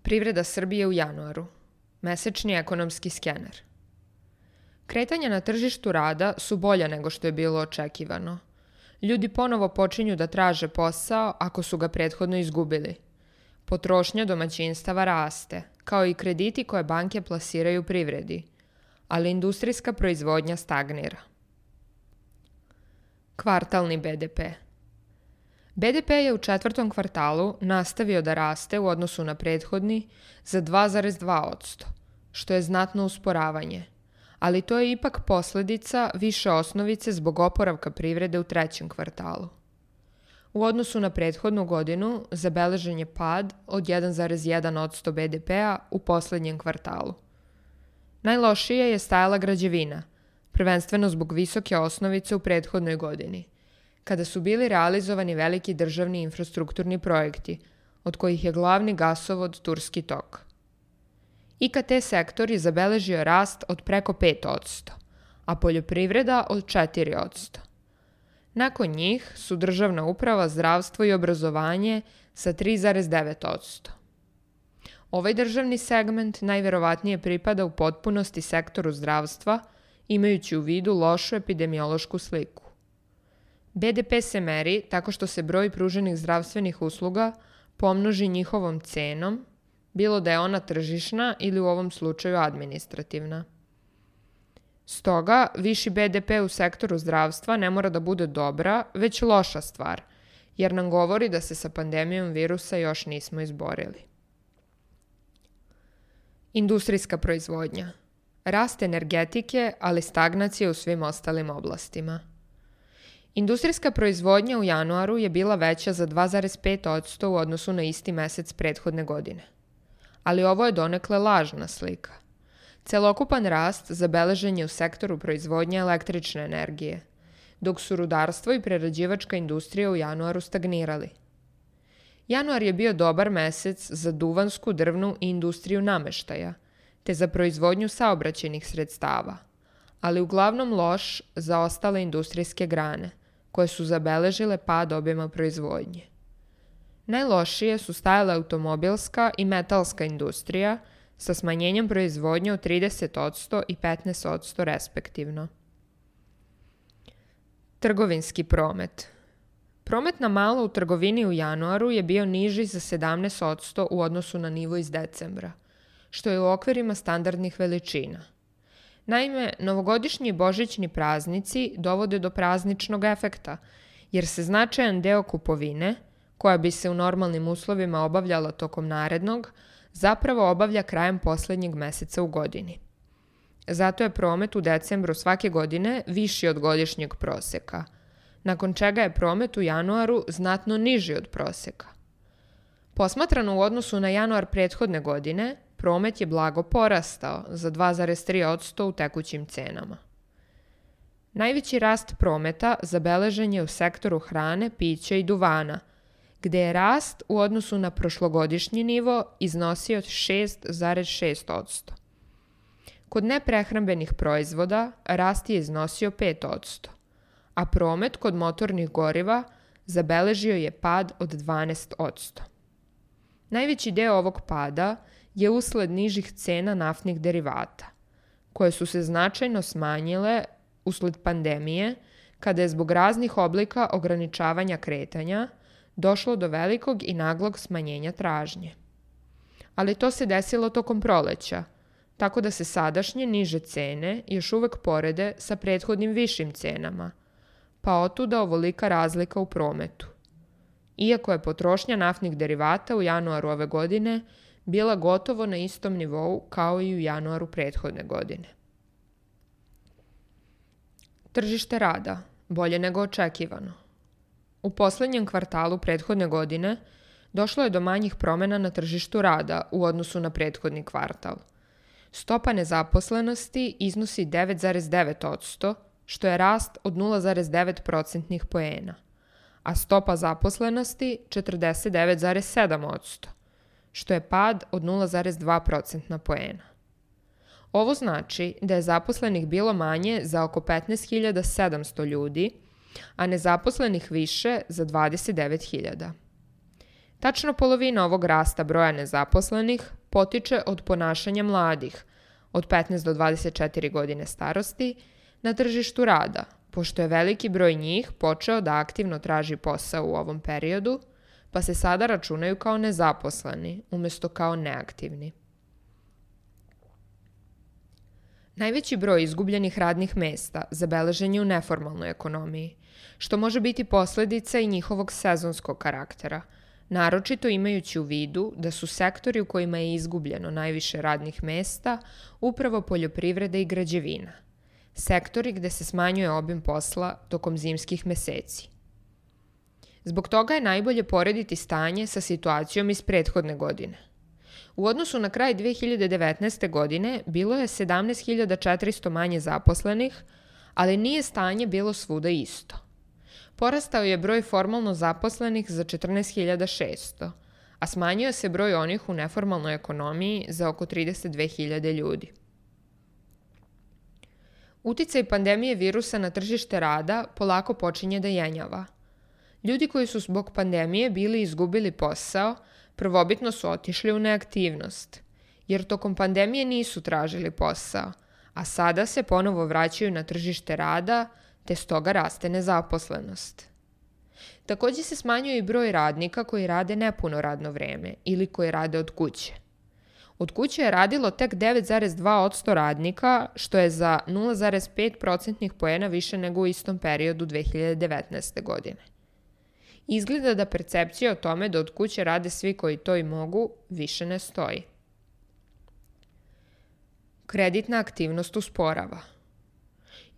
Privreda Srbije u januaru. Mesečni ekonomski skener. Kretanja na tržištu rada su bolja nego što je bilo očekivano. Ljudi ponovo počinju da traže posao ako su ga prethodno izgubili. Potrošnja domaćinstava raste, kao i krediti koje banke plasiraju privredi, ali industrijska proizvodnja stagnira. Kvartalni BDP. BDP je u četvrtom kvartalu nastavio da raste u odnosu na prethodni za 2,2%, što je znatno usporavanje, ali to je ipak posledica više osnovice zbog oporavka privrede u trećem kvartalu. U odnosu na prethodnu godinu zabeležen je pad od 1,1% BDP-a u poslednjem kvartalu. Najlošije je stajala građevina, prvenstveno zbog visoke osnovice u prethodnoj godini, kada su bili realizovani veliki državni infrastrukturni projekti, od kojih je glavni gasovod Turski tok. IKT sektor je zabeležio rast od preko 5%, a poljoprivreda od 4%. Nakon njih su državna uprava, zdravstvo i obrazovanje sa 3,9%. Ovaj državni segment najverovatnije pripada u potpunosti sektoru zdravstva, imajući u vidu lošu epidemiološku sliku. BDP se meri tako što se broj pruženih zdravstvenih usluga pomnoži njihovom cenom, bilo da je ona tržišna ili u ovom slučaju administrativna. Stoga, viši BDP u sektoru zdravstva ne mora da bude dobra, već loša stvar, jer nam govori da se sa pandemijom virusa još nismo izborili. Industrijska proizvodnja. Rast energetike, ali stagnacija u svim ostalim oblastima. Industrijska proizvodnja u januaru je bila veća za 2,5% u odnosu na isti mesec prethodne godine. Ali ovo je donekle lažna slika. Celokupan rast zabeležen je u sektoru proizvodnje električne energije, dok su rudarstvo i prerađivačka industrija u januaru stagnirali. Januar je bio dobar mesec za duvansku, drvnu i industriju nameštaja, te za proizvodnju saobraćajnih sredstava, ali uglavnom loš za ostale industrijske grane, koje su zabeležile pad obima proizvodnje. Najlošije su stajale automobilska i metalska industrija sa smanjenjem proizvodnje od 30% i 15% respektivno. Trgovinski promet. Promet na malo u trgovini u januaru je bio niži za 17% u odnosu na nivo iz decembra, što je u okvirima standardnih veličina. Naime, novogodišnji i božićni praznici dovode do prazničnog efekta, jer se značajan deo kupovine, koja bi se u normalnim uslovima obavljala tokom narednog, zapravo obavlja krajem poslednjeg meseca u godini. Zato je promet u decembru svake godine viši od godišnjeg proseka, nakon čega je promet u januaru znatno niži od proseka. Posmatrano u odnosu na januar prethodne godine, promet je blago porastao za 2,3% u tekućim cenama. Najveći rast prometa zabeležen je u sektoru hrane, pića i duvana, gde je rast u odnosu na prošlogodišnji nivo iznosio 6,6%. Kod neprehrambenih proizvoda rast je iznosio 5%, a promet kod motornih goriva zabeležio je pad od 12%. Najveći deo ovog pada je usled nižih cena naftnih derivata, koje su se značajno smanjile usled pandemije, kada je zbog raznih oblika ograničavanja kretanja došlo do velikog i naglog smanjenja tražnje. Ali to se desilo tokom proleća, tako da se sadašnje niže cene još uvek porede sa prethodnim višim cenama, pa otuda ovolika razlika u prometu. Iako je potrošnja naftnih derivata u januaru ove godine bila gotovo na istom nivou kao i u januaru prethodne godine. Tržište rada, bolje nego očekivano. U poslednjem kvartalu prethodne godine došlo je do manjih promena na tržištu rada u odnosu na prethodni kvartal. Stopa nezaposlenosti iznosi 9,9%, što je rast od 0,9 procentnih poena, a stopa zaposlenosti 49,7%, što je pad od 0,2 procentna poena. Ovo znači da je zaposlenih bilo manje za oko 15.700 ljudi, a nezaposlenih više za 29.000. Tačno polovina ovog rasta broja nezaposlenih potiče od ponašanja mladih, od 15 do 24 godine starosti, na tržištu rada, pošto je veliki broj njih počeo da aktivno traži posao u ovom periodu, pa se sada računaju kao nezaposleni, umjesto kao neaktivni. Najveći broj izgubljenih radnih mesta zabeležen je u neformalnoj ekonomiji, što može biti posljedica i njihovog sezonskog karaktera, naročito imajući u vidu da su sektori u kojima je izgubljeno najviše radnih mesta upravo poljoprivreda i građevina, sektori gde se smanjuje obim posla tokom zimskih meseci. Zbog toga je najbolje porediti stanje sa situacijom iz prethodne godine. U odnosu na kraj 2019. godine bilo je 17.400 manje zaposlenih, ali nije stanje bilo svuda isto. Porastao je broj formalno zaposlenih za 14.600, a smanjio se broj onih u neformalnoj ekonomiji za oko 32.000 ljudi. Uticaj pandemije virusa na tržište rada polako počinje da jenjava. Ljudi koji su zbog pandemije bili izgubili posao, prvobitno su otišli u neaktivnost, jer tokom pandemije nisu tražili posao, a sada se ponovo vraćaju na tržište rada, te stoga raste nezaposlenost. Također se smanjuje i broj radnika koji rade nepuno radno vreme ili koji rade od kuće. Od kuće je radilo tek 9,2% radnika, što je za 0,5 procentnih poena više nego u istom periodu 2019. godine. Izgleda da percepcija o tome da od kuće rade svi koji to i mogu više ne stoji. Kreditna aktivnost usporava.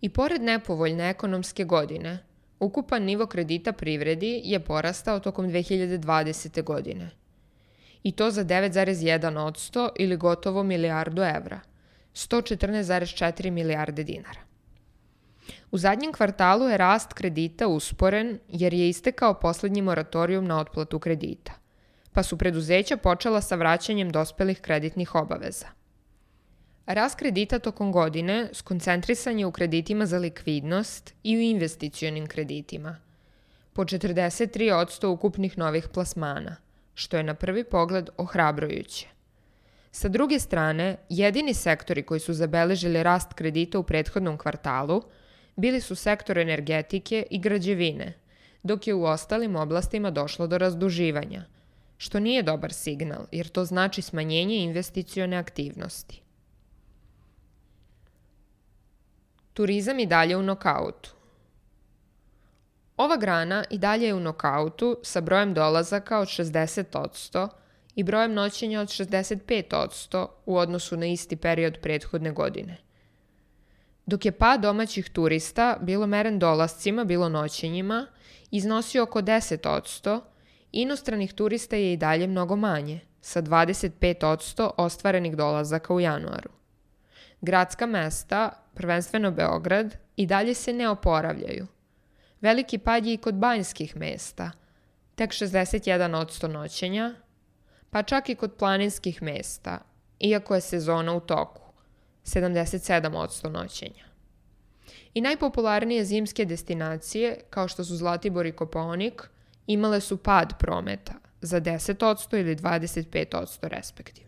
I pored nepovoljne ekonomske godine, ukupan nivo kredita privredi je porastao tokom 2020. godine. I to za 9,1% ili gotovo milijardu evra, 114,4 milijarde dinara. U zadnjem kvartalu je rast kredita usporen jer je istekao posljednji moratorijum na otplatu kredita, pa su preduzeća počela sa vraćanjem dospelih kreditnih obaveza. Rast kredita tokom godine skoncentrisan je u kreditima za likvidnost i u investicionim kreditima, po 43% ukupnih novih plasmana, što je na prvi pogled ohrabrujuće. Sa druge strane, jedini sektori koji su zabeležili rast kredita u prethodnom kvartalu bili su sektor energetike i građevine, dok je u ostalim oblastima došlo do razduživanja, što nije dobar signal jer to znači smanjenje investicione aktivnosti. Turizam i dalje u nokautu. Ova grana i dalje je u nokautu sa brojem dolazaka od 60% i brojem noćenja od 65% u odnosu na isti period prethodne godine. Dok je pad domaćih turista, bilo meren dolascima, bilo noćenjima, iznosio oko 10%, inostranih turista je i dalje mnogo manje, sa 25% ostvarenih dolazaka u januaru. Gradska mesta, prvenstveno Beograd, i dalje se ne oporavljaju. Veliki pad je i kod banjskih mesta, tek 61% noćenja, pa čak i kod planinskih mesta, iako je sezona u toku, 77% noćenja. I najpopularnije zimske destinacije, kao što su Zlatibor i Kopaonik, imale su pad prometa za 10% ili 25% respektivno.